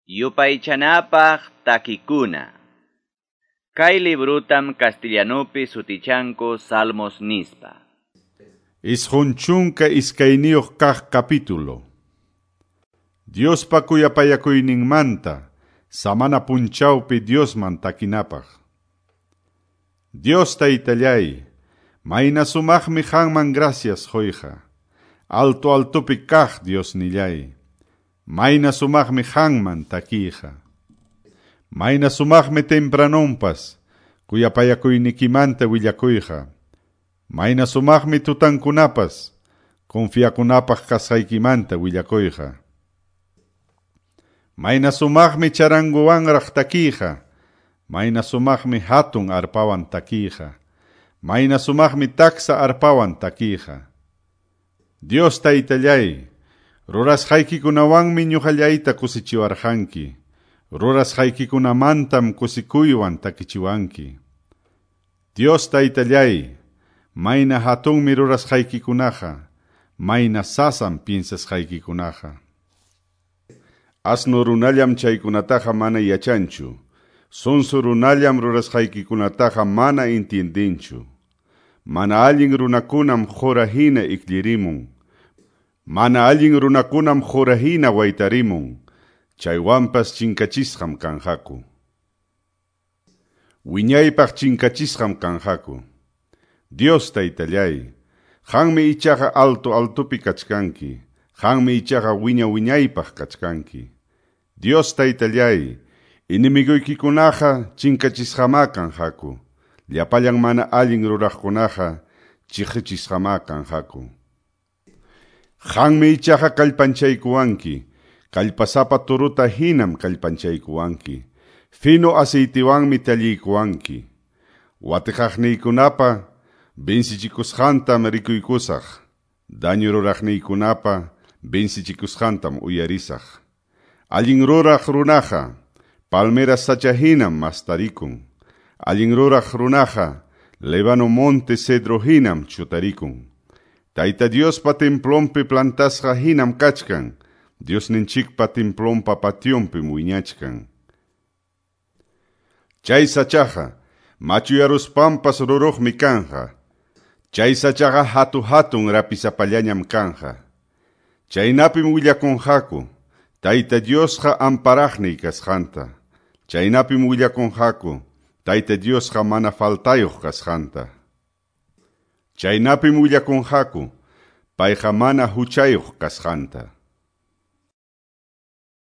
Yupaychanapaq takikuna. Kay librutam castellanupi sutichanku Salmos nispa. 22 kaq capítulo. Diospa kuyapayakuyninmanta, samana punchawpi Diosman takinapaq. Dios taytallay, mayna sumaqmi qanman gracias quyqa. Alto altopi kaq Diosnillay, mayna sumaqmi qanman takiyqa. Mayna sumaqmi tempranonpas, kuyapayakuynikimanta willakuyqa. Mayna sumaqmi tutankunapas, confiakunapaq kasqaykimanta willakuyqa. Mayna sumaqmi charanguwanraq takiyqa, mayna sumaqmi hatun arpawan takiyqa, mayna sumaqmi taksa arpawan takiyqa. Dios taytallay, rurasqaykikunawanmi ñuqallayta kusichiwarqanki, rurasqaykikunamantam kusikuywan takichiwanki. Dios taytallay, mayna hatunmi rurasqaykikunaqa, mayna sasam piensasqaykikunaqa. Asno runallam chaykunataqa mana yachanchu, sonso runallam rurasqaykikunataqa mana entiendenchu. Mana allin runakunam qura hina ikllirimun, mana allin runakunam qura hina waytarimun, chaywanpas chinkachisqam kanqaku. Wiñaypaq chinkachisqam kanqaku. Dios taytallay, qanmi ichaqa alto altopi kachkanki, qanmi ichaqa wiña wiñaypaq kachkanki. Dios taytallay, enemigoykikunaqa chinkachisqamá kanqaku, llapallan mana allin ruraqkunaqa chiqichisqamá kanqaku. Qanmi ichaqa kallpanchaykuwanki, kallpasapa turuta hinam kallpanchaykuwanki, fino aceitiwanmi talliykuwanki. Watiqaqniykunapa vencichikusqantam rikuykusaq, daño ruraqniykunapa vencichikusqantam uyarisaq. Allin ruraq runaqa, palmera sacha hinam mastarikun. Allin ruraq runaqa, Lébano monte cedro hinam chutarikun. Tayta Diospa templonpi plantasqa hinam kachkan, Diosninchikpa templonpa pationpim wiñachkan. Chay sachaqa, machuyaruspanpas ruruqmi kanqa. Chay sachaqa hatu hatun rapisapallañam kanqa. Chaynapim willakunqaku, Tayta Diosqa amparaqniy kasqanta. Chaynapim willakunqaku, Tayta Diosqa mana faltayuq kasqanta. Chaynapim willakunqaku, payqa mana huchayuq kasqanta.